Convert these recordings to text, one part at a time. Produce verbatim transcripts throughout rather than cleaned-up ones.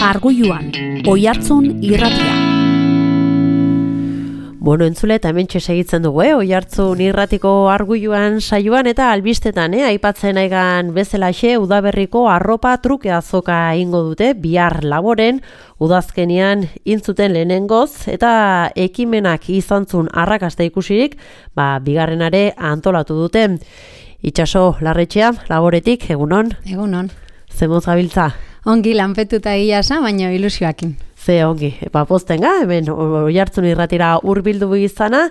Argoiluan, Oihartzun irratia. Bueno, entzule, eta hemen segitzen dugu, eh? Oihartzun irratiko Argoiluan saioan eta albistetan, eh? Aipatzen aigan bezalaxe, udaberriko arropa truke azoka ingo dute, bihar laboren, udazkenian intzuten lehenengoz, eta ekimenak izantzun arrakasta ikusirik, ba, bigarrenare antolatu dute. Itxaso Larretxea, laboretik, egunon? Egunon. Zemoz gabiltza? Ongi lanpetuta egiasa, baina ilusioakin. Ze ongi, ba, postenga, hemen Oihartzun irratira hurbildu izana,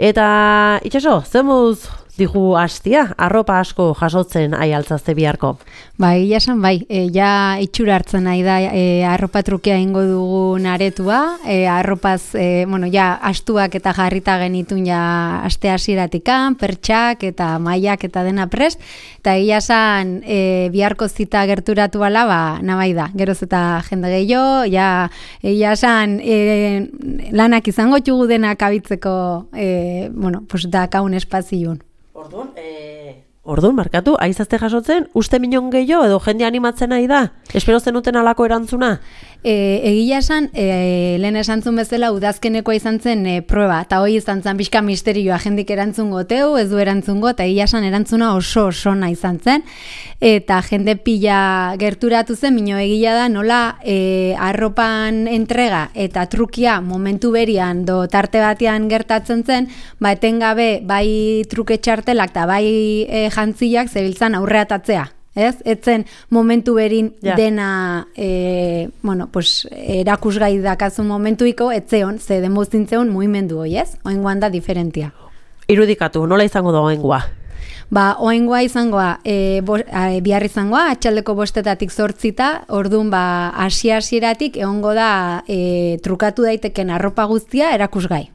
eta itxaso, zemuz digu hastia, arropa asko jasotzen ai altzazte biharko? Ba, egiasan bai, e, ja itxura hartzen nahi da e, arropa trukea ingo dugun aretua, e, arropaz, e, bueno, ja astuak eta jarrita genitun ja aste hasieratikan, pertsak eta mailak eta dena prest, eta egiasan e, biharko zita gerturatu ala, ba, nabai da, geroz eta jende gehiago, ja egiasan e, lanak izango txugu denak abitzeko, e, bueno, pues da kaun espazion. Orduan, eh... Orduan, markatu, aizazte jasotzen, uste minon gehiago edo jende animatzen nahi da? Espero zenuten alako erantzuna? E, egia esan, e, lehen esantzun bezala udazkenekoa izan zen e, proba, eta hoi izan zen pixka misterioa jendik erantzun goteu, ez du erantzun got, eta egia esan erantzuna oso oso nahi izan zen, eta jende pila gerturatu zen, mino egia da nola e, arropan entrega eta trukia momentu berian do tarte batean gertatzen zen, ba etengabe bai truke txartelak eta bai e, jantziak zebiltzan aurreatatzea. Ez? Etzen momentu berin ja. dena e, bueno, pues, erakusgai dakazun momentuiko, etzeon, ze demostintzeon mugimendu hoi, ez? Oengoan da diferentia. Irudikatu, nola izango da oengoa? Ba, oengoa izangoa, e, bo, a, bihar izangoa, atxaldeko bostetatik zortzita, orduan ba, hasi-hasieratik egongo da e, trukatu daiteken arropa guztia erakusgai.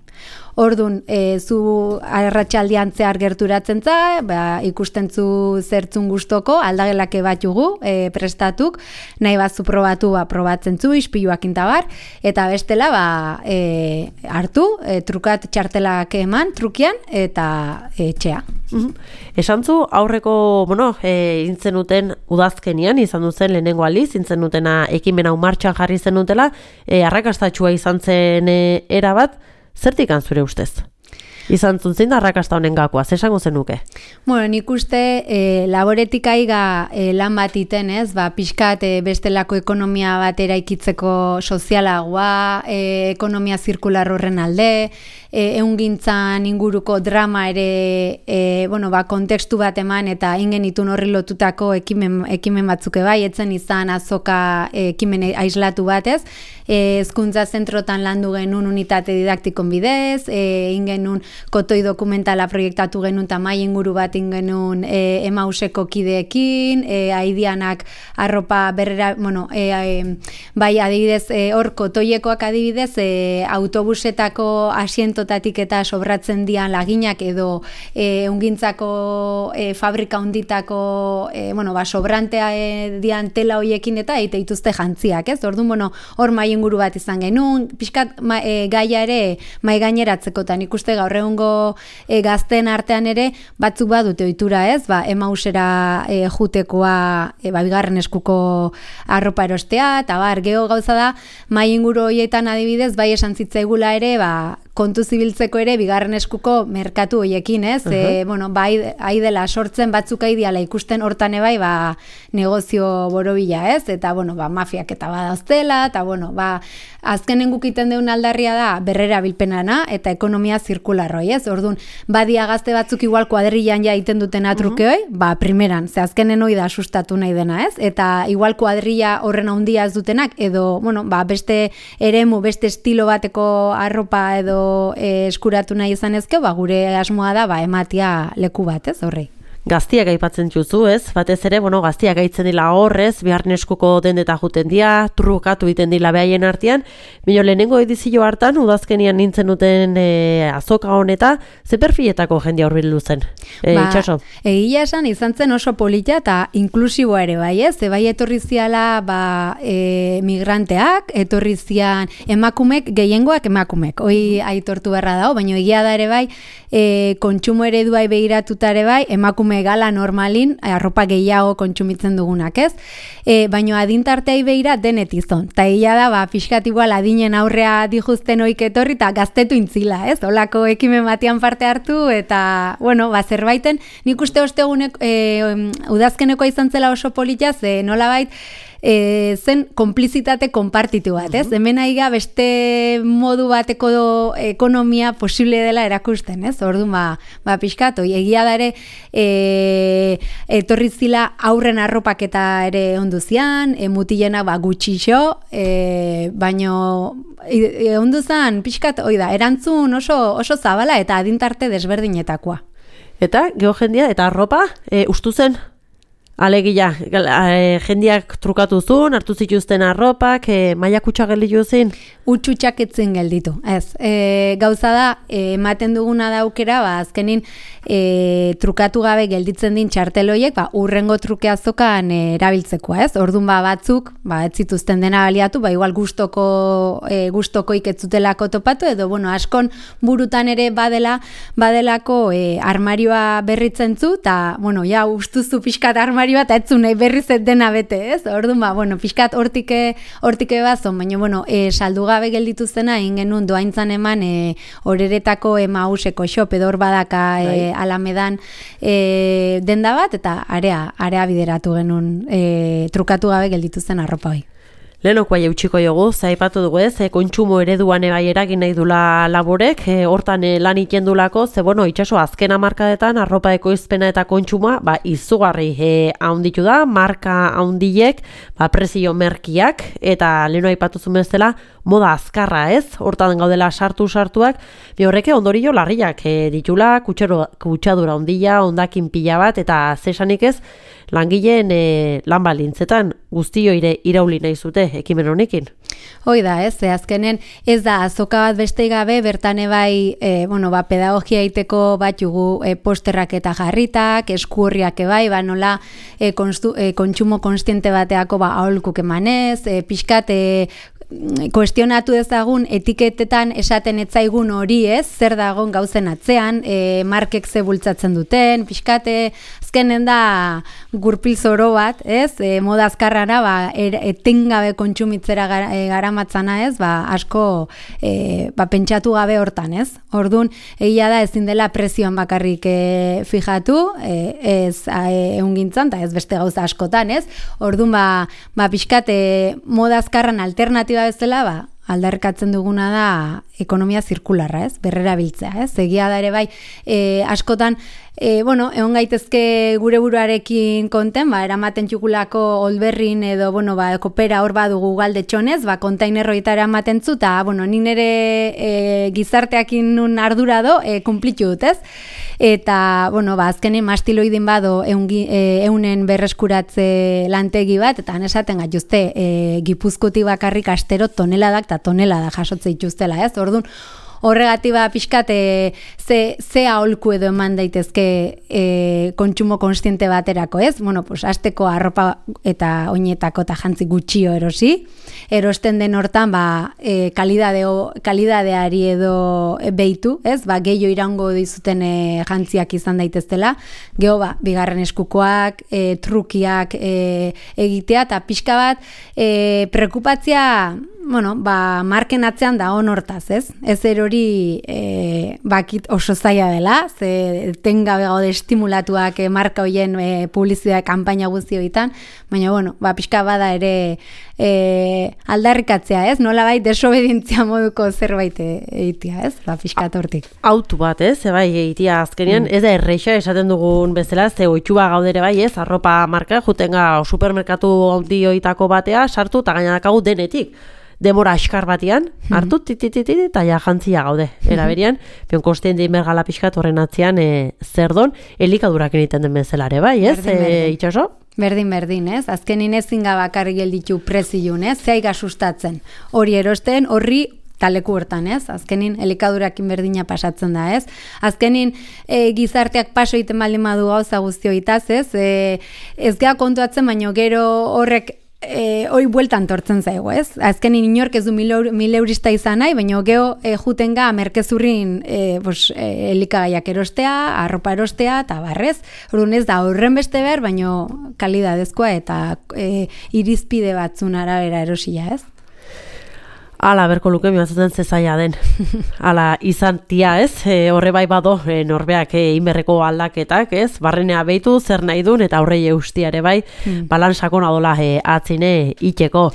Orduan, e, zu arratsaldean zehar gerturatzen za, ba, ikusten zu zertzun gustoko, aldagelake bat jugu, e, prestatuk, nahi bat zu probatu, ba, probatzen zu, ispiluak intabar, eta bestela, ba, e, hartu, e, trukat txartelak eman, trukian, eta e, txea. Mm-hmm. Esan zu, aurreko, bueno, e, intzenuten udazkenian, izan duzen lehenengo aliz, intzenutena ekimen hau martxan jarri zenutela, e, arrakastatxua izan zen e, erabat, zertik zure ustez? Izan zuntzin da arrakasta honen gakoa, zesango zenuke? Bueno, nik uste e, laboretik aiga e, lan bat iten, ez? Ba, pixkat e, bestelako ekonomia bat eraikitzeko sozialagoa, e, ekonomia zirkular horren alde, e, eungintzan inguruko drama ere, e, bueno, ba, kontekstu bat eman eta ingenitun horri lotutako ekimen, ekimen batzuke bai, etzen izan azoka e, ekimen aislatu batez, e, hezkuntza zentrotan landu genuen unitate didaktikon bidez, e, ingenun kotoi dokumentala proiektatu genuen eta mai inguru bat ingenuen e, emauseko kideekin, e, aidianak arropa berrera, bueno, e, e, bai adibidez, e, hor kotoiekoak adibidez, e, autobusetako asientotatik eta sobratzen dian laginak edo e, ungintzako e, fabrika hunditako, e, bueno, ba, sobrantea e, dian tela hoiekin eta eite dituzte jantziak, ez? Orduan, bueno, hor mai inguru bat izan genuen, pixkat ma, e, gaia ere mai gaineratzekotan ikuste gaur egungo e, gazten artean ere batzuk badute ohitura, ez? Ba, emausera e, jutekoa e, ba, bigarren eskuko arropa erostea, eta bar, geho gauza da, mai inguru horietan adibidez, bai esan zitzaigula ere, ba, kontu zibiltzeko ere bigarren eskuko merkatu hoiekin, ez? Uh-huh. E, bueno, bai, hai dela sortzen batzuk aidiala ikusten hortan ebai, ba, negozio borobila, ez? Eta, bueno, ba, mafiak eta badauztela, eta, bueno, ba, azkenen gukiten deun aldarria da berrera bilpenana eta ekonomia zirkularroi, ez? Orduan, badia gazte batzuk igual kuadrillan ja iten duten atrukeoi, uh-huh. ba, primeran, ze azkenen hoi da sustatu nahi dena, ez? Eta igual kuadrilla horren handia ez dutenak, edo, bueno, ba, beste eremu, beste estilo bateko arropa edo e, eskuratu nahi izan ezke, ba, gure asmoa da, ba, ematia leku bat, ez, horrei. Gaztiak aipatzen juzu, ez? Batez ere, bueno, gaztiak aitzen dila horrez, biharren eskuko dendeta juten dia, trukatu iten dila behaien artean. Bino, lehenengo edizio hartan, udazkenian nintzen duten e, azoka honeta, ze perfiletako jendia hurbildu zen? E, ba, itxaso? Egia esan, izan zen oso polita eta inklusiboa ere, bai, ez? Bai etorri ziala, ba, e, migranteak, etorri zian emakumek, gehiengoak emakumek, hoi aitortu beharra dago, baina egia da ere bai, e, kontsumo ereduai begiratuta ere bai, emakume emakume gala normalin, arropa gehiago kontsumitzen dugunak, ez? E, baina adintarteai behira denetizon. Ta ia da, ba, pixkat igual adinen aurrea dijuzten oik etorri, eta gaztetu intzila, ez? Olako ekimen batian parte hartu, eta, bueno, ba, zerbaiten, nik uste ostegunek, e, udazkeneko izan zela oso polita, ze nolabait, E, zen konplizitate konpartitu bat, ez? Hemen aiga beste modu bateko ekonomia posible dela erakusten, ez? Orduan, ba, ba pixkat, oi, egia da ere, e, etorri zila aurren arropaketa ere onduzian, e, mutilena ba, gutxixo, e, baino e, onduzan, pixkat, oi da, erantzun oso, oso zabala eta adintarte desberdinetakoa. Eta, geojendia, eta arropa, e, ustu zen? Alegia, e, jendiak trukatu zuen, hartu zituzten arropak, e, maila kutsa gelditu zen? Utxutxak etzen gelditu, ez. E, gauza da, e, ematen duguna da aukera, ba, azkenin e, trukatu gabe gelditzen din txarteloiek, ba, urrengo truke azokan e, erabiltzekoa, ez. Orduan ba, batzuk, ba, ez zituzten dena baliatu, ba, igual gustoko, e, gustokoik ez zutelako topatu, edo, bueno, askon burutan ere badela, badelako e, armarioa berritzen zu, eta, bueno, ja, ustuzu pixkat armarioa, eta etzu nahi berriz ez dena bete, ez? Orduan, ba, bueno, pixkat hortike, hortike bazon, baina, bueno, e, saldu gabe gelditu zena, egin genuen doaintzan eman e, horeretako emauseko xop, edo hor badaka e, alamedan e, denda bat, eta area, area bideratu genuen e, trukatu gabe gelditu zen arropa hoi. Lehenoko aia utxiko jogu, zaipatu dugu ez, e, kontsumo ereduan egai eragin nahi dula laborek, e, hortan e, lan ikendulako, ze bueno, itxaso azken hamarkadetan arropa ekoizpena eta kontsumoa, ba, izugarri e, haunditu da, marka haundiek, ba, prezio merkiak, eta leheno aipatu zuen bezala, moda azkarra ez, hortan gaudela sartu-sartuak, bi horreke ondorio larriak e, ditula, kutsadura ondila, ondakin pila bat, eta zesanik ez, langileen e, lan balintzetan guztio ire irauli nahi zute ekimen honekin. Hoi da, ez, ze azkenen ez da azoka bat beste gabe, bertan ebai, e, bueno, ba, pedagogia egiteko bat jugu e, posterrak eta jarritak, eskurriak ebai, ba, nola e, konstu, e, kontsumo konstiente bateako ba, aholkuk emanez, e, pixkat, e, kuestionatu dezagun etiketetan esaten etzaigun hori ez, zer dagon gauzen atzean, e, markek ze bultzatzen duten, pixkate, azkenen da gurpil zoro bat, ez, e, moda azkarrana, ba, er, etengabe kontsumitzera gara, e, garamatzana ez, ba, asko e, ba, pentsatu gabe hortan ez. Orduan, egia da ezin dela prezioan bakarrik e, fijatu, e, ez e, eungintzan, eta ez beste gauza askotan ez. Orduan, ba, ba pixkate moda azkarran alternatiba bezala, ba, aldarrikatzen duguna da ekonomia zirkularra, ez? Berrera biltzea, ez? Egia da ere bai, e, askotan, e, bueno, egon gaitezke gure buruarekin konten, ba, eramaten txukulako olberrin edo, bueno, ba, kopera hor badugu galde txonez, ba, kontainerroita eramaten zu, eta, bueno, nin ere e, gizarteakin nun ardura do, e, kumplitu dut, ez? Eta, bueno, ba, azkenen mastiloidin bado eungi, e, eunen berreskuratze lantegi bat, eta esaten gaituzte, e, Gipuzkotik bakarrik astero toneladak eta tonelada jasotze dituztela, ez? Orduan, horregatik ba pixkat e, ze, ze aholku edo eman daitezke e, kontsumo konstiente baterako, ez? Bueno, pues, asteko arropa eta oinetako eta jantzi gutxio erosi. Erosten den hortan, ba, e, kalidadeo, kalidadeari edo behitu, ez? Ba, gehiago iraungo dizuten e, jantziak izan daiteztela. Geho, ba, bigarren eskukoak, e, trukiak e, egitea, eta pixka bat, e, prekupatzia, bueno, ba, marken atzean da on hortaz, ez? Ez erori e, bakit oso zaila dela, ze tengabe gaude estimulatuak e, marka hoien e, publizitate kanpaina guztioetan, baina, bueno, ba, pixka bada ere e, aldarrikatzea, ez? Nola bai desobedientzia moduko zerbait egitea, ez? Ba, pixka tortik. Autu bat, ez? Bai, egitea azkenean, mm. ez da erreixa esaten dugun bezala, ze oitxua gaudere bai, ez? Arropa marka, jutenga supermerkatu handioitako batea, sartu eta gainadakagu denetik. Demora askar batean, hartu, titititi, eta ja jantzia gaude. Era berian, pion kostien dein bergala pixkat horren atzean e, zer don, elikadurak egiten den bezalare, bai, ez? Berdin, berdin. E, itxaso? Berdin, berdin, ez? Azkenin ezin gabakarri gelditu preziun, ez? Zeiga sustatzen. Hori erosten, horri taleku hortan, ez? Azkenin elikadurakin berdina pasatzen da, ez? Azkenin e, gizarteak paso egiten baldin badu gauza guztioitaz, ez? E, ez geha kontuatzen, baino gero horrek e, hoi bueltan tortzen zaigu, ez? Azkenin inork ez du mil, euro, mil eurista izan nahi, baina geho e, jutenga merkezurrin e, bos, e, elikagaiak erostea, arropa erostea, eta barrez. Orduan ez da horren beste behar, baina kalidadezkoa eta e, irizpide batzun arabera erosia, ez? Ala, berko luke, miazaten zezaia den. Ala, izan tia, ez? E, horre bai bado, e, norbeak e, inberreko aldaketak, ez? Barrenea behitu, zer nahi duen, eta horrei eustiare bai, hmm. balan sakona dola e, atzine itxeko.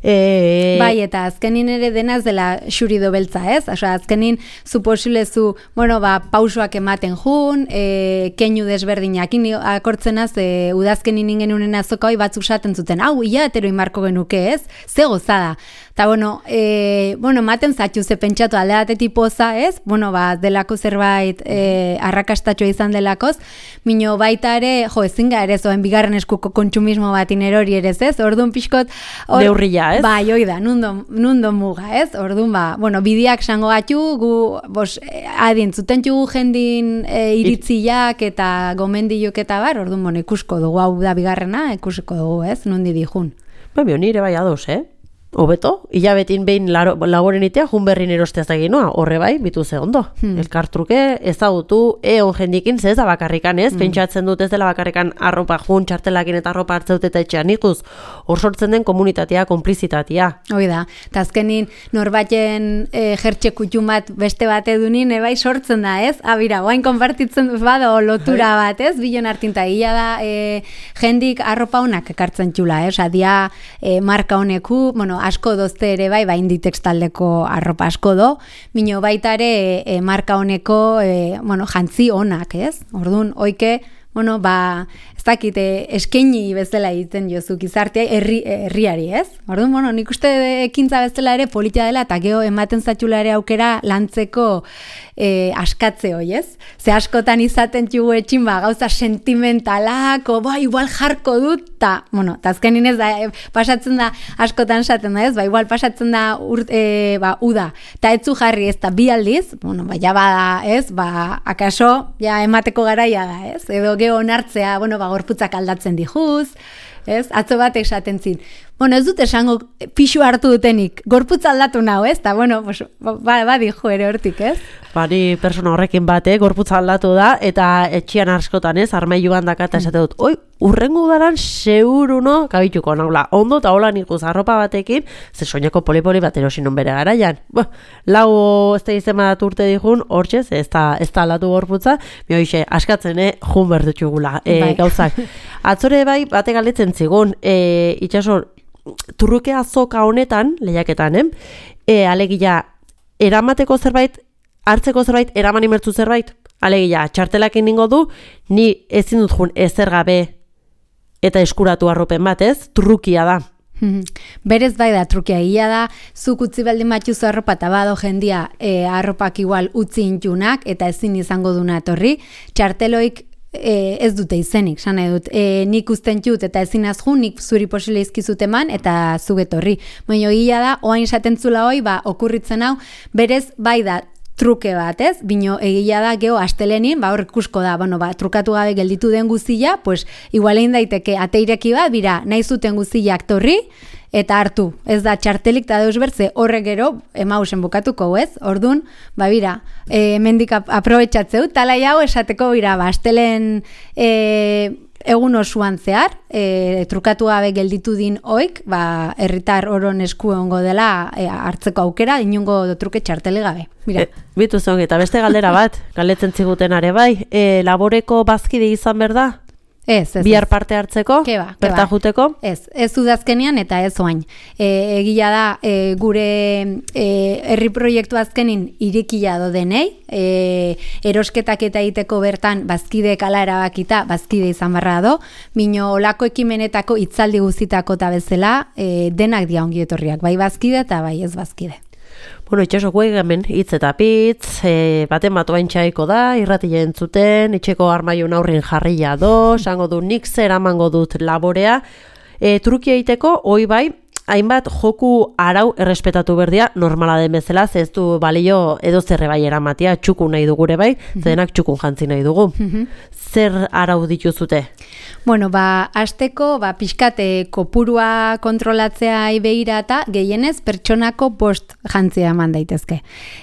E... Bai, eta azkenin ere denaz dela xurido beltza, ez? Osa, azkenin zu posilezu, bueno, ba, pausoak ematen jun, e, keinu desberdinak, akortzenaz, e, udazkenin ingen unen azoka hoi batzuk saten zuten, hau, ia etero inmarko genuke, ez? Ze gozada. Eta, bueno, e, bueno, maten zatxu ze pentsatu alde batetik poza, ez? Bueno, ba, delako zerbait e, arrakastatxoa izan delakoz, mino baita ere, jo, ezin ga ere zoen bigarren eskuko kontsumismo bat inerori ere, ez? Orduan pixkot... Or, Neurria, ez? Bai, hoi da, nundo, nundo muga, ez? Orduan, ba, bueno, bideak sango gatu, gu, bos, adin, zuten txugu jendin e, iritziak eta gomendiluk eta bar, orduan, bueno, ikusko dugu, hau da bigarrena, ikusiko dugu, ez? Nundi dijun. Ba, bio, nire bai ados, eh? Hobeto, hilabetin behin laboren itea, jun berrin erosteaz eginoa, horre bai, bitu ze ondo. Hmm. Elkartruke, ezagutu, eon jendikin, ze ez da bakarrikan, ez? Hmm. Pentsatzen dut ez dela bakarrikan arropa jun, txartelakin eta arropa hartzeut eta etxean ikuz. Hor sortzen den komunitatea, konplizitatea. Hoi da, eta azkenin norbaten e, jertxe kutxun bat beste bat edunin, ebai sortzen da, ez? Abira, guain konpartitzen bado lotura bat, ez? Bilon hartinta, gila da, e, jendik arropa honak ekartzen txula, ez? Adia, e, marka honeku, bueno, asko dozte ere bai, ba Inditex taldeko arropa asko do, mino baita ere e, marka honeko, e, bueno, jantzi onak, ez? Orduan, oike, bueno, ba, ez dakite, eskaini bezala egiten jozu gizartea herri, herriari, ez? Orduan, bueno, nik uste ekintza bezala ere politia dela, eta geho ematen zatxula ere aukera lantzeko e, askatze hoi, ez? Ze askotan izaten txugu etxin, ba, gauza sentimentalako, ba, igual jarko dut, eta, bueno, eta azkenin ez da, e, pasatzen da, askotan esaten da, ez? Ba, igual pasatzen da, urt, e, ba, uda, eta etzu jarri ez da bi aldiz, bueno, ba, ja bada, ez? Ba, akaso, ja, emateko garaia da, ez? Edo geho onartzea, bueno, ba, gorputzak aldatzen dijuz, ez? Atzo bat esaten zin. Bueno, ez dut esango pixu hartu dutenik, gorputz aldatu nahu, ez? Ta, bueno, pues, ba, ba dijo ere hortik, ez? Bari persona horrekin bate, gorputz aldatu da, eta etxian askotan, ez? Armailuan dakata esate dut, oi, urrengo udaran seguruno kabituko naula. Ondo eta hola nikuz arropa batekin, ze soineko poli-poli bat erosinon bere garaian. Bo, lau ez da izan bat urte dihun, hortxez, ez da, ez da aldatu gorputza, mi hoxe, askatzen, eh, jun berdutxugula, e, bai. Gauzak. Atzore bai, bate galdetzen zigun, e, itxasor, turruke azoka honetan, lehiaketan, eh? E, alegia, eramateko zerbait, hartzeko zerbait, eraman imertzu zerbait, alegia, txartelakin ningo du, ni ezin dut jun ezer gabe eta eskuratu arropen bat, ez? Trukia da. Berez bai da, trukia egia da, zuk utzi baldin batxuzu arropa eta bado jendia e, arropak igual utzi intunak eta ezin izango duna etorri, txarteloik E, ez dute izenik, sana dut, e, nik usten txut eta ezin azjun, nik zuri posile izkizut eman eta zugetorri. Baina gila da, oain esaten zula hoi, ba, okurritzen hau, berez bai da, truke bat, ez? Bino egia da geho astelenin, ba hor ikusko da, bueno, ba trukatu gabe gelditu den guztia, pues igual egin daiteke ateireki bat, bira, nahi zuten guztiak torri eta hartu. Ez da txartelik ta deus bertze horrek gero emausen bukatuko, ez? Ordun, ba bira, eh hemendik aprobetxatzeu talai hau esateko bira, ba astelen eh egun osoan zehar, e, trukatu gabe gelditu din oik, ba, herritar oron esku egongo dela e, hartzeko aukera, inungo truke txartele gabe. Mira. E, bitu zongi, eta beste galdera bat, galdetzen ziguten are bai, e, laboreko bazkide izan berda? Ez, ez. Bihar parte hartzeko? Keba, berta juteko? Ez, ez udazkenian eta ez oain. E, egia da, e, gure e, herri proiektu azkenin irikia do denei, e, erosketak eta egiteko bertan bazkideek ala erabakita, bazkide izan barra do, mino olako ekimenetako hitzaldi guztitako eta bezala, e, denak dia ongi etorriak, bai bazkide eta bai ez bazkide. Bueno, itxasoko hemen hitz eta pitz, e, baten bat oaintxaiko da, irratile entzuten, etxeko armaiun aurrin jarria do, sango du nik zer amango dut laborea, e, trukia egiteko, hoi bai, hainbat joku arau errespetatu berdia normala den bezala, ez du balio edo zerre bai eramatia, txukun nahi dugure bai, zenak txukun jantzi nahi dugu. Zer arau dituzute? Bueno, ba, asteko, ba, pixkate kopurua kontrolatzea begira eta gehienez pertsonako bost jantzia eman daitezke.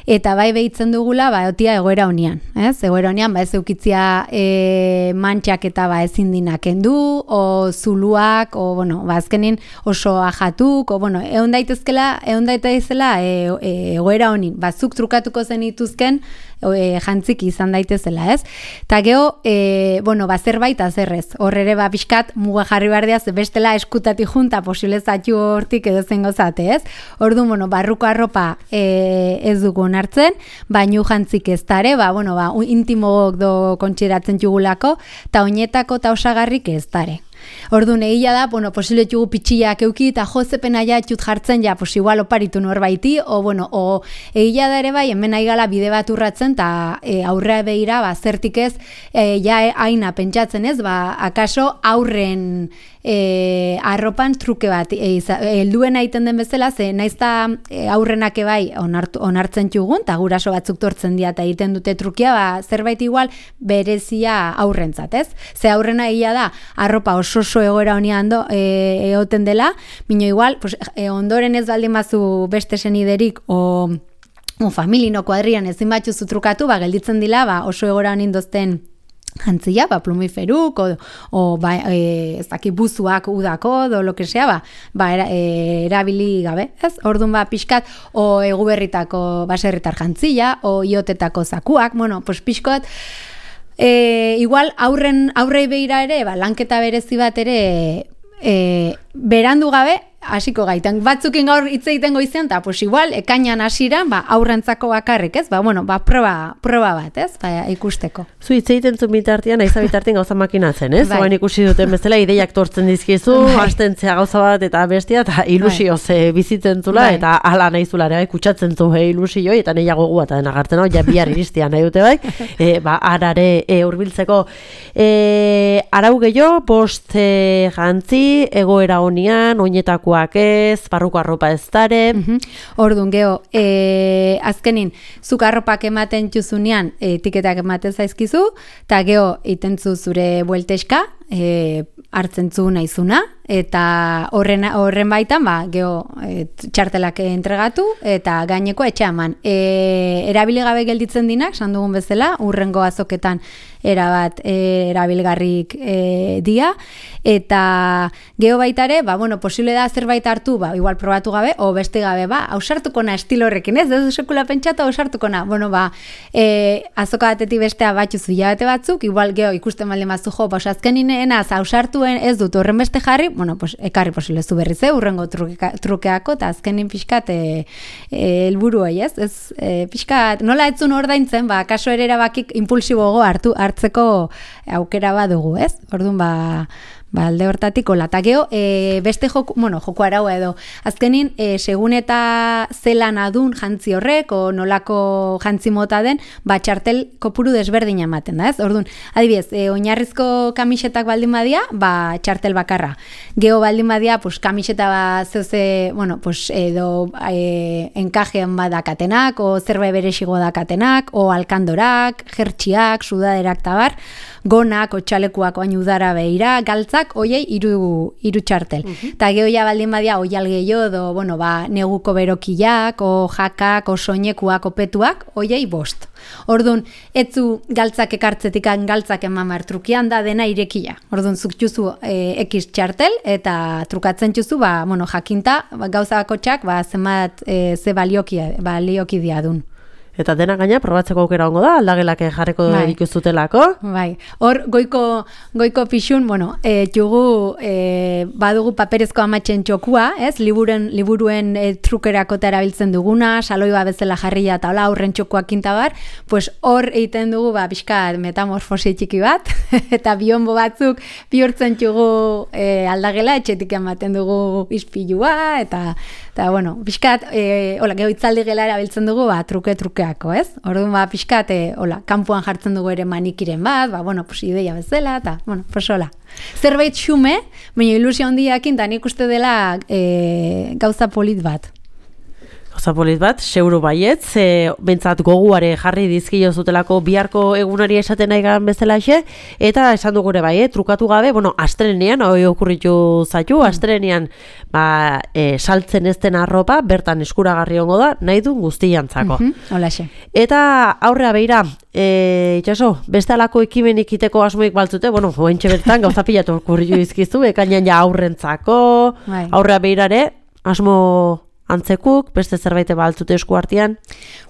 Eta bai behitzen dugula, ba, otia egoera honian, ez? Egoera honian, ba, ez eukitzia e, mantxak eta ba, ezin dinak endu, o zuluak, o, bueno, ba, azkenin oso ajatuk, o, bueno, egon daitezkela, egon daitezela e, e, egoera honin, ba, zuk trukatuko zen ituzken, E, jantzik izan daitezela, ez? Ta geho, e, bueno, ba, zerbait azerrez. Hor ere, ba, pixkat, muga jarri behar diaz, bestela eskutati junta, posible zatxu hortik edo zengo zate, ez? Ordu, bueno, barruko arropa e, ez dugu onartzen, baino jantzik ez dare, ba, bueno, ba, intimogok do kontxeratzen jugulako, ta oinetako ta osagarrik ez dare. Orduan egia da, bueno, posible txugu pitxiak euki eta jozepena ja txut jartzen ja, pues igual oparitu norbaiti, o bueno, o egia da ere bai, hemen aigala bide bat urratzen, eta e, aurrea behira, ba, zertik ez, e, ja aina pentsatzen ez, ba, akaso aurren e, arropan truke bat, helduen e, egiten den bezala, ze naizta e, aurrenak ebai onartu, onartzen txugun, eta guraso batzuk tortzen dira eta egiten dute trukia, ba, zerbait igual berezia aurrentzat, ez? Ze aurrena egia da, arropa oso oso egoera honian do, e, egoten dela, mino igual, pues, e, ondoren ez baldin bazu beste seniderik, o, o familino kuadrian ezin batxuzu trukatu, ba, gelditzen dila, ba, oso egoera honin dozten jantzia, ba, plumiferuk, o, o ba, e, ez daki buzuak udako, do lo que sea, ba, ba era, e, erabili gabe, ez? Orduan, ba, pixkat, o eguberritako baserritar jantzia, o iotetako zakuak, bueno, pues pixkot, E, igual aurren aurrei beira ere, ba, lanketa berezi bat ere e, berandu gabe hasiko gaitan. Batzukin gaur hitz egiten goizean, eta pues igual ekainan hasiran, ba, aurrentzako bakarrik, ez? Ba, bueno, ba, proba, proba bat, ez? Ba, ikusteko. Zu hitz egiten zu bitartean, aiza bitartean gauza makinatzen, ez? Bai. Oain ikusi duten bezala, ideiak tortzen dizkizu, bai. Astentzea gauza bat eta bestia, eta ilusioz bai. bizitzen zula, bai. Eta ala nahi zula, bai, kutsatzen zu he, ilusioi, eta nahiago gu eta denagartzen hau, ja bihar iristia nahi dute bai, e, ba, arare e, urbiltzeko. E, arau gehiago, bost e, jantzi, egoera honian, oinetakoak ez, barruko arropa ez dare. Uh-huh. Orduan, geho, e, azkenin, zuk arropak ematen txuzunean, etiketak ematen zaizkizu, eta geho, itentzu zure buelteska, e, hartzen zu naizuna, eta horren, horren baitan, ba, geho, e, txartelak entregatu, eta gaineko etxe eman. E, erabili gabe gelditzen dinak, san dugun bezala, urrengo azoketan erabat e, erabilgarrik e, dia, eta geho baitare, ba, bueno, posible da zerbait hartu, ba, igual probatu gabe, o beste gabe, ba, ausartuko na estilo horrekin, ez, ez sekula pentsatu ausartuko na, bueno, ba, e, azoka batetik bestea batxuzu hilabete batzuk, igual geho ikusten baldin bazu jo, ba, azkenin enaz, ausartuen ez dut horren beste jarri, bueno, pues, ekarri posible zu berriz, eh, urrengo truke, trukeako, eta azkenin pixkat e, e, elburuei, ez, ez, e, pixkat, nola etzun ordaintzen, ba, kaso ere erabakik impulsibogo hartu, hartzeko aukera badugu, ez? Orduan, ba, ba alde hortatik hola. Ta gero, e, beste joku, bueno, joku araua edo, azkenin, e, segun eta zelan adun jantzi horrek, o nolako jantzi mota den, ba, txartel kopuru desberdina ematen da, ez? Orduan, adibidez, e, oinarrizko kamisetak baldin badia, ba, txartel bakarra. Geo baldin badia, pues, kamiseta ba, zeuze, bueno, pues, edo e, enkajean badakatenak, o zerbait berexigo dakatenak, o alkandorak, jertxiak, sudaderak tabar, gonak, otxalekuak oain udara behira, galtzak, oiei, iru, iru txartel. Uh-huh. Ta geho ja baldin badia, oial gehiago, do, bueno, ba, neguko berokiak, o jakak, o soinekuak, opetuak, oiei bost. Orduan, etzu galtzak ekartzetik galtzak eman behar trukian da dena irekia. Orduan, zuk txuzu e, ekiz txartel, eta trukatzen txuzu, ba, bueno, jakinta, ba, gauza bakotxak, ba, zenbat e, ze balioki, balioki diadun. Eta dena gaina probatzeko aukera ongo da, aldagelak jarriko bai. Dikuzutelako. Bai, hor goiko, goiko pixun, bueno, e, txugu e, badugu paperezko amatzen txokua, ez? Liburen, liburuen e, trukerako erabiltzen duguna, saloiba bezala jarria eta hola aurren txokuak kintabar, pues hor egiten dugu, ba, pixkat metamorfosi txiki bat, eta bionbo batzuk bihurtzen txugu e, aldagela, etxetik ematen dugu izpilua, eta, eta bueno, pixkat, e, hola, geho itzaldi gela erabiltzen dugu, ba, truke-trukeak urterako, ez? Orduan, ba, pixkat, e, hola, kanpoan jartzen dugu ere manikiren bat, ba, bueno, pues, ideia bezala, eta, bueno, pues, hola. Zerbait xume, baina ilusio handiakin, da nik uste dela e, gauza polit bat. Gauza polit bat, seuru baietz, e, bentsat goguare jarri dizkio zutelako biharko egunari esaten nahi gan bezalaxe, eta esan dugure bai, eh, trukatu gabe, bueno, astrenean, hoi okurritu zaitu, astrenean, ba, e, saltzen ez den arropa, bertan eskuragarri ongo da, nahi du guztiantzako. Mm-hmm, holaxe. Eta aurrea beira, e, itxaso, beste alako ekimenik iteko asmoik baltzute, bueno, hoentxe bertan, gauza pilatu okurritu izkizu, ekainan ja aurrentzako, bai. Aurrea beirare, asmo antzekuk, beste zerbait baltzute esku artean?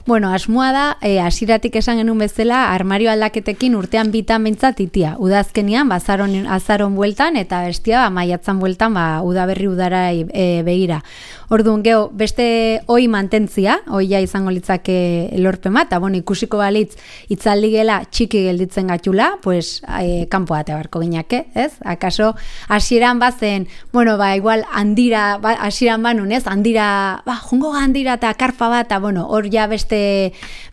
Bueno, asmoa da, e, asiratik esan genuen bezala, armario aldaketekin urtean bitan bentsat itia. Udazkenian, bazaron, azaron bueltan, eta bestia, ba, maiatzan bueltan, ba, udaberri udara e, begira. Orduan, geho, beste hoi mantentzia, hoia izango litzake lorpema, eta bueno, ikusiko balitz, itzaldi gela txiki gelditzen gatxula, pues, e, kanpo bate barko gineke, ez? Akaso, hasieran bazen, bueno, ba, igual, handira, ba, hasieran banun, ez? Handira, ba, jungo handira eta karpa bat, eta bueno, hor ja beste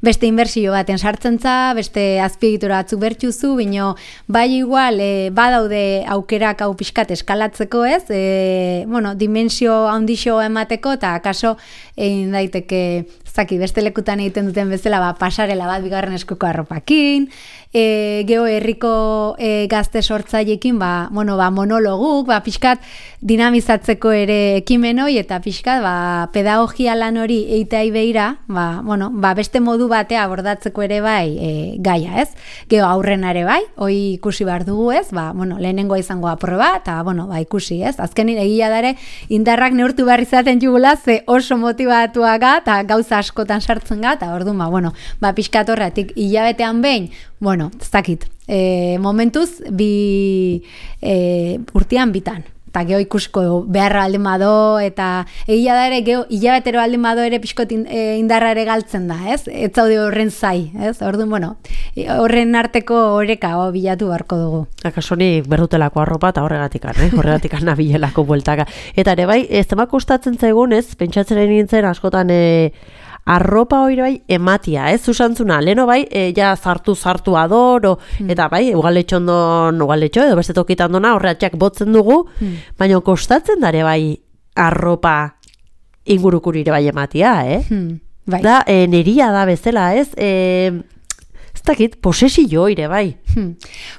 beste inbertsio baten sartzen za, beste azpiegitura batzuk bertxuzu, bino bai igual e, badaude aukerak hau pixkat eskalatzeko, ez? E, bueno, dimensio handixo emateko, eta akaso egin daiteke, zaki, beste lekutan egiten duten bezala, ba, pasarela bat bigarren eskuko arropakin, e, geho herriko e, gazte sortzailekin, ba, bueno, ba, monologuk, ba, pixkat dinamizatzeko ere ekimenoi, eta pixkat, ba, pedagogia lan hori eitai beira, ba, bueno, ba, beste modu batea abordatzeko ere bai e, gaia, ez? Geho aurrenare bai, hoi ikusi behar dugu, ez? Ba, bueno, lehenengoa izango aproba, eta, bueno, ba, ikusi, ez? Azkenin egia dare, indarrak neurtu behar izaten jugula, ze oso motivatuaga, eta gauza askotan sartzen ga, eta orduan, ba, bueno, ba, pixkat horretik hilabetean behin, bueno, ez dakit, e, momentuz, bi e, urtean bitan. Eta geho ikusiko beharra alden bado, eta egia da ere, geho hilabetero alden bado ere pixkot indarra ere galtzen da, ez? Ez zaude horren zai, ez? Orduan, bueno, horren arteko horeka o, bilatu beharko dugu. Akasonik berdutelako arropa eta horregatikan, eh? Horregatikan nabilelako bueltaka. Eta ere bai, ez temak gustatzen zaigun, ez? Pentsatzen nintzen askotan e, arropa hori bai ematia, ez? Zusantzuna, leheno bai, e, ja zartu-zartu ador, mm. eta bai, ugaletxondon, ugaletxo, edo beste tokitan dona, horreatxak botzen dugu, mm. baina kostatzen dare bai arropa ingurukurire bai ematia, eh? Mm. Bai. Da, e, neria da bezala, ez? E, ez dakit, posesillo ere bai. Hmm.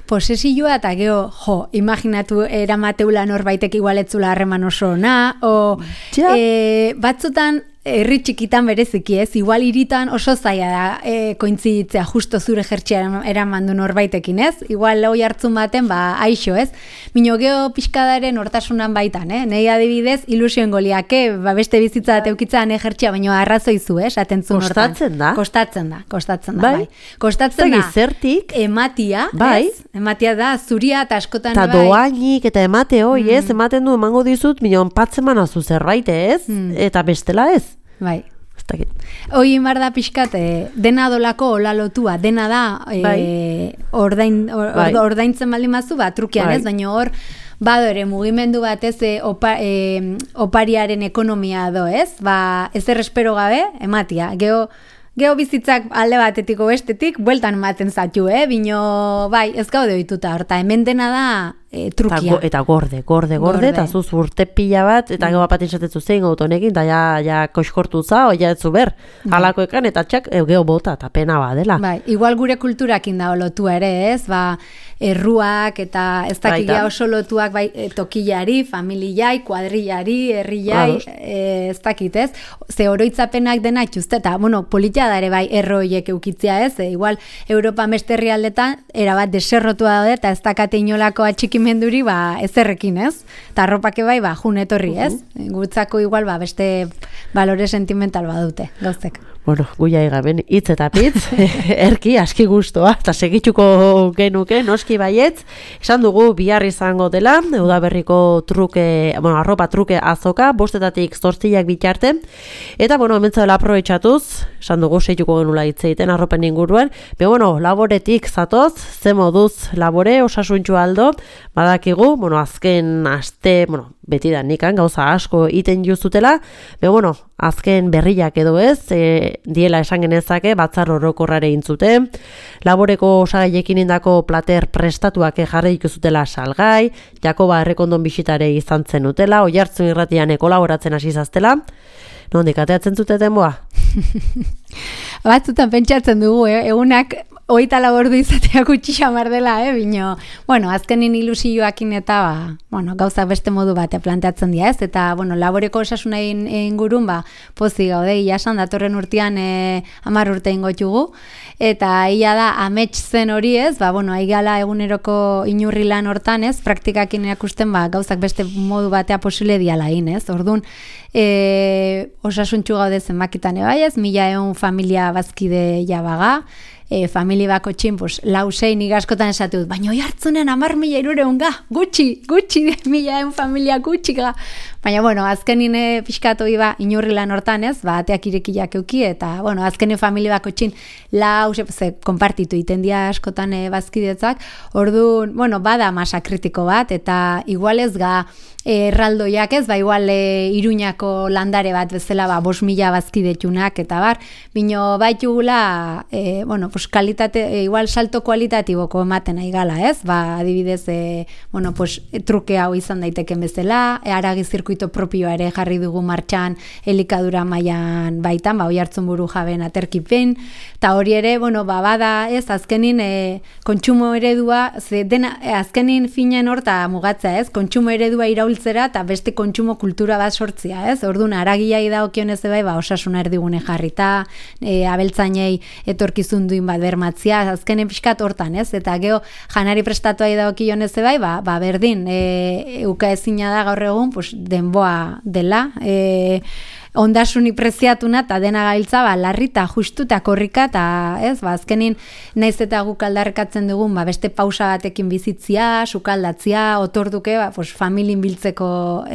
Posesilloa eta geho, jo, imaginatu eramateula norbaitek igualetzula harreman oso ona, o ja. e, batzutan herri txikitan bereziki, ez? Igual hiritan oso zaila da e, kointziditzea justo zure jertxea eraman du norbaitekin, ez? Igual hoi hartzun baten, ba, aixo, ez? Mino geho pixkadaren hortasunan baitan, eh? Nei adibidez, ilusioen goliake, ba, beste bizitza bat eukitzaan ejertxea, baino arrazoizu, eh? Atentzun hortan. Kostatzen da? Kostatzen da, kostatzen da, bai. bai. Kostatzen da, zertik, ematia, bai. ez? Ematia da, zuria eta askotan, ta bai. Doainik eta emate hoi, mm. ez? Ematen du, emango dizut, minon patzen manazu zerbait, ez? Mm. Eta bestela ez? Bai. Hoi inbar da pixkat, eh, dena dolako hola lotua, dena da eh, bai. ordain, or, bai. ordaintzen baldin mazu, ba, trukian bai. ez, baina hor, bado ere mugimendu bat ez e, opa, e, opariaren ekonomia do, ez? Ba, ez errespero gabe, ematia. Geho, geho bizitzak alde batetiko bestetik, bueltan ematen zatu, eh? Bino, bai, ez gaude ohituta, horta, hemen dena da e, trukia. Eta, eta gorde, gorde, gorde, eta zuz urte pila bat, eta mm. gero bat insatetzu zein autonekin, eta ja, ja koxkortu za, oia etzu ber, halakoekan, eta txak, e, geho bota, eta pena badela. Bai, igual gure kulturakin da lotu ere, ez? Ba, erruak, eta ez dakigia oso lotuak bai, e, tokillari, familiai, kuadrillari, herriai, e, ez dakit, ez? Ze oroitzapenak dena itxuzte, eta, bueno, politia da ere bai, erroiek eukitzia, ez? E, igual, Europa beste herrialdetan, erabat deserrotua daude, eta ez dakate inolako atxikimenduri, ba, ezerrekin, ez? Eta arropake bai, ba, jun etorri, ez? Uh-huh. Gutzako igual, ba, beste balore sentimental badute, gauztek. Bueno, guia egamen, hitz eta pitz, erki, aski guztua, eta segitxuko genuke, noski baietz, esan dugu bihar izango dela, udaberriko truke, bueno, arropa truke azoka, bostetatik zortziak bitarte, eta, bueno, hementza dela aprobetxatuz, esan dugu segitxuko genula hitz egiten arropen inguruan, be, bueno, laboretik zatoz, ze moduz labore, osasuntxu aldo, badakigu, bueno, azken aste, bueno, beti da nikan, gauza asko iten juzutela, be, bueno, azken berriak edo ez, e, diela esan genezake, batzar orokorrare intzute, laboreko osagaiekin indako plater prestatuak jarri ikuzutela salgai, Jakoba Errekondon bisitare izan zen utela, Oiartzun irratian kolaboratzen hasi zaztela, nondik ateatzen zuteten boa? Batzutan pentsatzen dugu, eh? Egunak hogeita lau ordu izatea gutxi xamar dela, eh? Bino, bueno, azkenin ilusioakin eta ba, bueno, gauzak beste modu batea planteatzen dira, ez? Eta, bueno, laboreko osasuna ingurun, ba, pozik gaude, iasan, datorren urtean eh, hamar urte ingotugu, eta ia da, amets zen hori, ez? Ba, bueno, aigala eguneroko inurri lan hortan, ez? Praktikakin erakusten, ba, gauzak beste modu batea posible diala in, ez? Orduan, e, osasuntxu gaude zenbakitan ebai, ez? Mila egun familia bazkide jabaga, E, familia bako txin, pues, lau zein igaskotan esatu dut, baina oi hartzunen amar mila irureun ga, gutxi, gutxi, mila egun familia gutxi ga. Baina, bueno, azkenin e, pixkatu iba inurri lan hortan ez, ba, ateak irekiak euki, eta, bueno, azkenin familia bako txin, lau, ze, konpartitu iten dia askotan e, bazkidetzak, orduan, bueno, bada masa kritiko bat, eta igualez ga, erraldoiak ez, ba, igual e, Iruñako landare bat bezala, ba, bos mila bazkidetxunak, eta bar, bino baitugula, e, bueno, pues, kalitate, e, igual salto kualitatiboko ematen nahi gala, ez, ba, adibidez, e, bueno, pues, truke hau izan daiteken bezala, e, aragi zirkuito propioa ere jarri dugu martxan, elikadura mailan baitan, ba, Oiartzun buru jaben aterkipen, eta hori ere, bueno, ba, bada, ez, azkenin, e, kontsumo eredua, ze, dena, e, azkenin finen horta mugatza, ez, kontsumo eredua iraul eta beste kontsumo kultura bat sortzia, ez? Orduan, aragiai dagokionez bai, ba, osasuna erdigune jarrita, e, abeltzainei etorkizun duin bat bermatzia, azkenen pixkat hortan, ez? Eta geho, janari prestatuai dagokionez bai, ba, ba berdin, e, uka ezina da gaur egun, pues, denboa dela, e, ondasunik preziatuna eta dena gailtza, ba, larrita, justuta, korrika, eta ez, ba, azkenin naiz eta guk aldarrekatzen dugun, ba, beste pausa batekin bizitzia, sukaldatzia, otorduke, ba, pues, familin biltzeko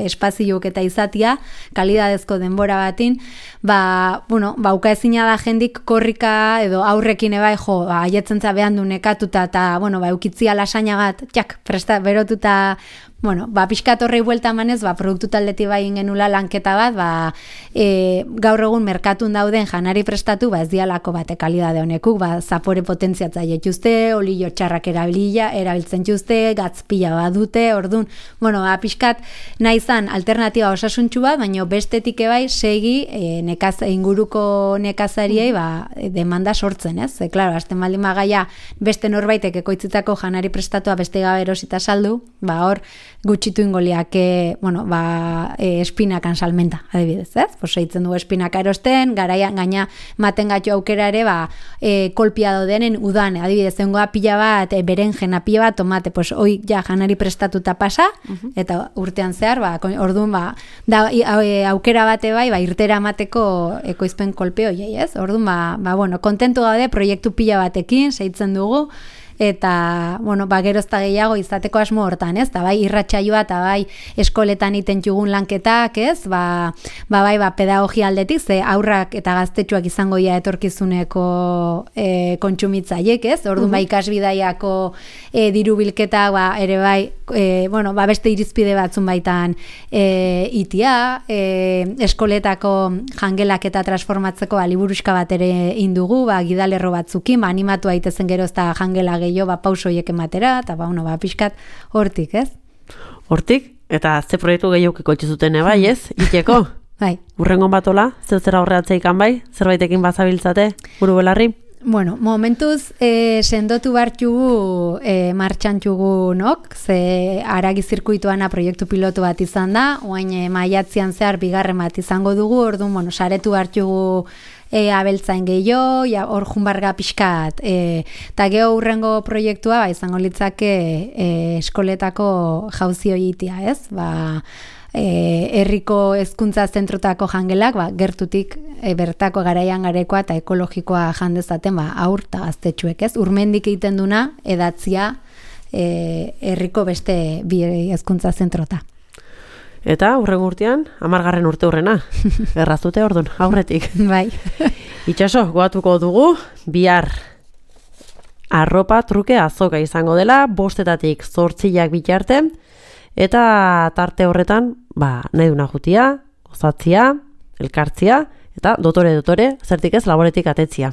espaziok eta izatia, kalidadezko denbora batin, ba, bueno, ba, uka ezina da jendik korrika edo aurrekin ebai, jo, ba, aietzen za behan du nekatuta, eta, bueno, ba, eukitzia lasaina bat, txak, presta, berotuta, bueno, ba, pixkat horrei buelta emanez, ba, produktu taldeti bai ingenula lanketa bat, ba, e, gaur egun merkatun dauden janari prestatu, ba, ez dialako bate kalidade honekuk, ba, zapore potentziatza jetuzte, olio txarrak erabilia, erabiltzen juzte, gatzpila bat dute, orduan, bueno, ba, pixkat nahi zan alternatiba osasuntxu bat, baina bestetik ebai segi e, nekaz, inguruko nekazariei, ba, demanda sortzen, ez? E, klaro, azten baldin magaia beste norbaitek ekoitzitako janari prestatua beste gabe erosita saldu, ba, hor, gutxitu ingoliak, e, bueno, ba, e, espinakan salmenta, adibidez, ez? Pues eitzen dugu espinaka erosten, garaian gaina maten gatu aukera ere, ba, e, kolpia dodenen udan, adibidez, zengoa pila bat, e, berenjena pila bat, tomate, pues, hoi ja janari prestatuta pasa, uh-huh. Eta urtean zehar, ba, orduan, ba, da, e, aukera bate bai, ba, irtera amateko ekoizpen kolpe hoiei, ez? Orduan, ba, ba, bueno, kontentu gaude, proiektu pila batekin, zeitzen dugu, eta, bueno, ba, gerozta gehiago izateko asmo hortan, ez? Ta bai, irratsaioa eta bai, eskoletan iten jugun lanketak, ez? Ba, ba bai, ba, pedagogia aldetik, ze aurrak eta gaztetxuak izango ia etorkizuneko e, kontsumitzaiek, ez? Orduan, uh-huh. Ba, ikasbidaiako e, diru bilketa, ba, ere bai, e, bueno, ba, beste irizpide batzun baitan e, itia, e, eskoletako jangelak eta transformatzeko aliburuska bat ere indugu, ba, gidalerro batzukin, ba, animatu aitezen gerozta jangela gehiago, ba, pausoiek ematera, eta ba, bueno, ba, pixkat hortik, ez? Hortik? Eta ze proiektu gehiago ikotxe zuten bai, ez? Iteko? Bai. Urrengon batola? Zeu zera horreatzeikan bai? Zerbaitekin bazabiltzate? Buru belarri? Bueno, momentuz e, sendotu bartxugu e, martxantxugu nok, ze aragi zirkuituana proiektu pilotu bat izan da, oain e, maiatzian zehar bigarren bat izango dugu, orduan, bueno, saretu bartxugu E, abeltzain gehiago, ja, hor junbarga pixkat, eta e, geho urrengo proiektua, ba, izango litzake e, eskoletako jauzio egitea, ez? Ba, e, herriko hezkuntza zentrotako jangelak, ba, gertutik e, bertako garaian garekoa eta ekologikoa jandezaten, ba, aur eta gaztetxuek, ez? Urmendik egiten duna, edatzia e, herriko beste bi hezkuntza zentrota. Eta, urrengo urtean, amargarren urte hurrena. Erraztute orduan, aurretik. Bai. Itxaso, goatuko dugu, bihar arropa truke azoka izango dela, bostetatik zortziak bitarte, eta tarte horretan, ba, nahi duna jutia, gozatzia, elkartzia, eta dotore dotore, zertik ez laboretik atetzia.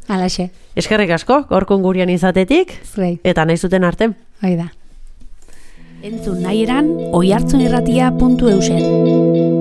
Alaxe. Eskerrik asko, gaurkon gurean izatetik, Zuei. eta nahi zuten arte. Hoi da. Entzun nahi eran, oihartzunirratia puntu eusen.